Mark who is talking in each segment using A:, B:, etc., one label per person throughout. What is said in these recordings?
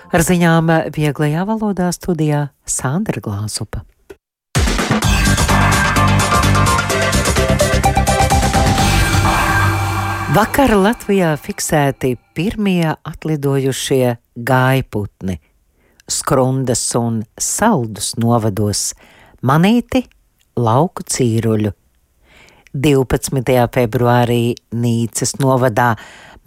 A: Ar ziņām vieglajā valodā studijā Sandra Glāzupa. Vakar Latvijā fiksēti pirmie atlidojušie gājputni. Skrundas un Saldus novados manīti lauku cīruļu. 12. februārī Nīcas novadā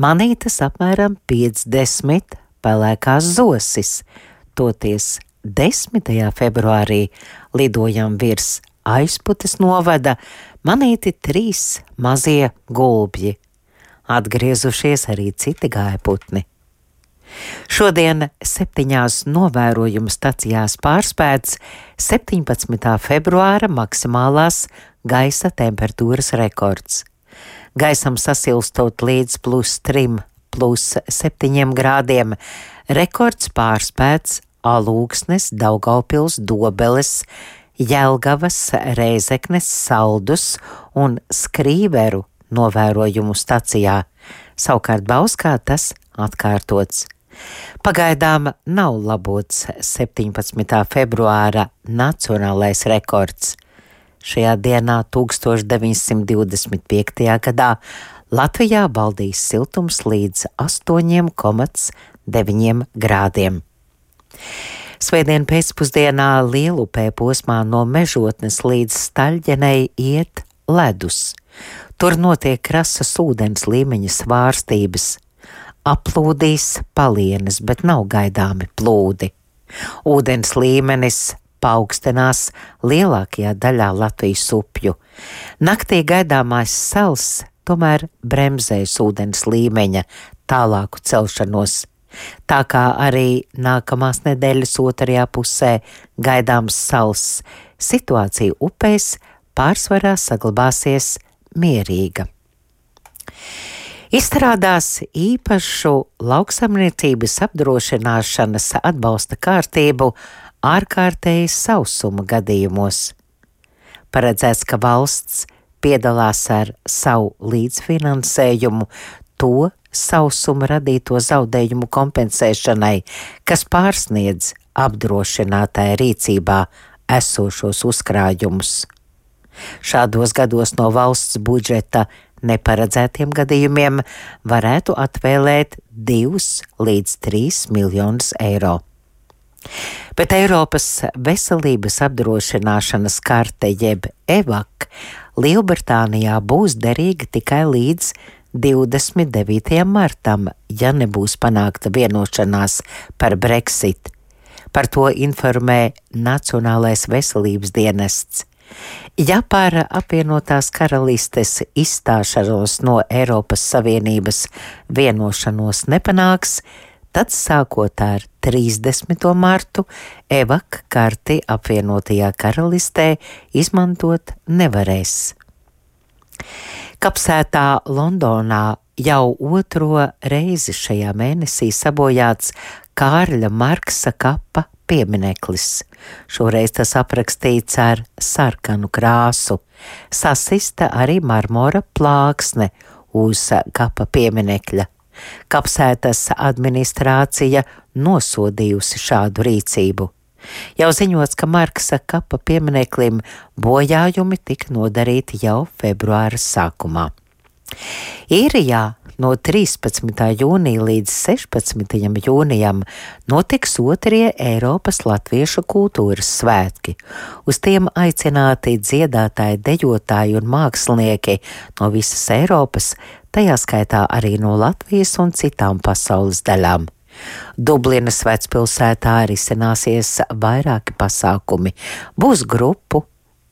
A: manītas apmēram 50 pelēkās zosis, toties 10. februārī lidojam virs Aizputes novada manīti 3 mazie gulbji. Atgriezušies arī citi gājputni. Šodien 7 novērojumu stacijās pārspēts 17. februāra maksimālās gaisa temperatūras rekords. Gaisam sasilstot līdz +3, +7 grādiem, rekords pārspēts Alūksnes, Daugaupils, Dobeles, Jelgavas, Rēzeknes, Saldus un Skrīveru novērojumu stacijā. Savukārt Bauskā tas atkārtots. Pagaidām nav labots 17. februāra nacionālais rekords. Šajā dienā 1925. gadā Latvijā valdīs siltums līdz 8,9 grādiem. Svētdien pēcpusdienā Lielupē posmā no Mežotnes līdz Staļģenei iet ledus. Tur notiek krasas ūdens līmeņa svārstības. Aplūdīs palienes, bet nav gaidāmi plūdi. Ūdens līmenis paaugstinās lielākajā daļā Latvijas upju. Naktī gaidāmais sals tomēr bremzēs ūdens līmeņa tālāku celšanos. Tā kā arī nākamās nedēļas otrajā pusē gaidāms sals, situācija upēs pārsvarā saglabāsies mierīga. Izstrādās īpašu lauksaimniecības apdrošināšanas atbalsta kārtību ārkārtējas sausuma gadījumos. Paredzēts, ka valsts piedalās ar savu līdzfinansējumu to sausuma radīto zaudējumu kompensēšanai, kas pārsniedz apdrošinātāja rīcībā esošos uzkrājumus. Šādos gados no valsts budžeta neparedzētiem gadījumiem varētu atvēlēt 2 līdz 3 miljonus eiro. Bet Eiropas veselības apdrošināšanas karte jeb EVAK Lielbritānijā būs derīga tikai līdz 29. martam, ja nebūs panākta vienošanās par Brexit. Par to informē Nacionālais veselības dienests. Ja par apvienotās karalistes izstāšanos no Eiropas Savienības vienošanos nepanāks, tad sākot ar 30. martu EVAK karti apvienotajā karalistē izmantot nevarēs. Kapsētā Londonā jau 2. reizi šajā mēnesī sabojāts Kārļa Marksa kapa piemineklis. Šoreiz tas aprakstīts ar sarkanu krāsu. Sasista arī marmora plāksne uz kapa pieminekļa. Kapsētas administrācija nosodījusi šādu rīcību. Jau ziņots, ka Marksa kapa piemineklim bojājumi tika nodarīti jau februāra sākumā. Īrijā no 13. jūnija līdz 16. jūnijam notiks 2. Eiropas latviešu kultūras svētki. Uz tiem aicināti dziedātāji, dejotāji un mākslinieki no visas Eiropas, tajā skaitā arī no Latvijas un citām pasaules daļām. Dublinas vecpilsētā risināsies vairāki pasākumi. Būs grupu,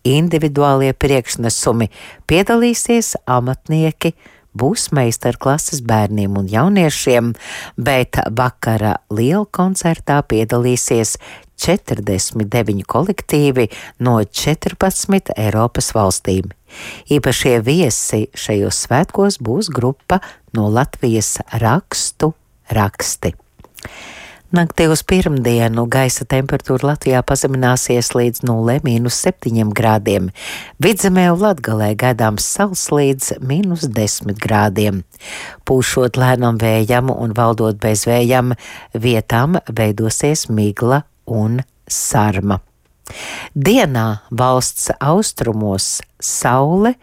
A: individuālie priekšnesumi, piedalīsies amatnieki, būs meistarklases bērniem un jauniešiem, bet vakara liela koncertā piedalīsies 49 kolektīvi no 14 Eiropas valstīm. Īpašie viesi šajos svētkos būs grupa no Latvijas rakstu raksti. Naktī uz pirmdienu gaisa temperatūra Latvijā pazemināsies līdz 0–7 grādiem. Vidzemē un Latgalē gaidāms sals līdz -10 grādiem. Pūšot lēnam vējam un valdot bez vējam, vietām veidosies migla un sarma. Dienā valsts austrumos saule,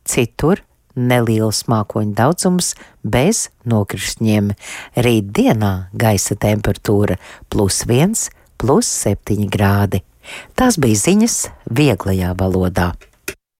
A: citur neliels mākoņu daudzums bez nokrišņiem. Rīt dienā gaisa temperatūra +1–7 grādi. Tās bija ziņas vieglajā valodā.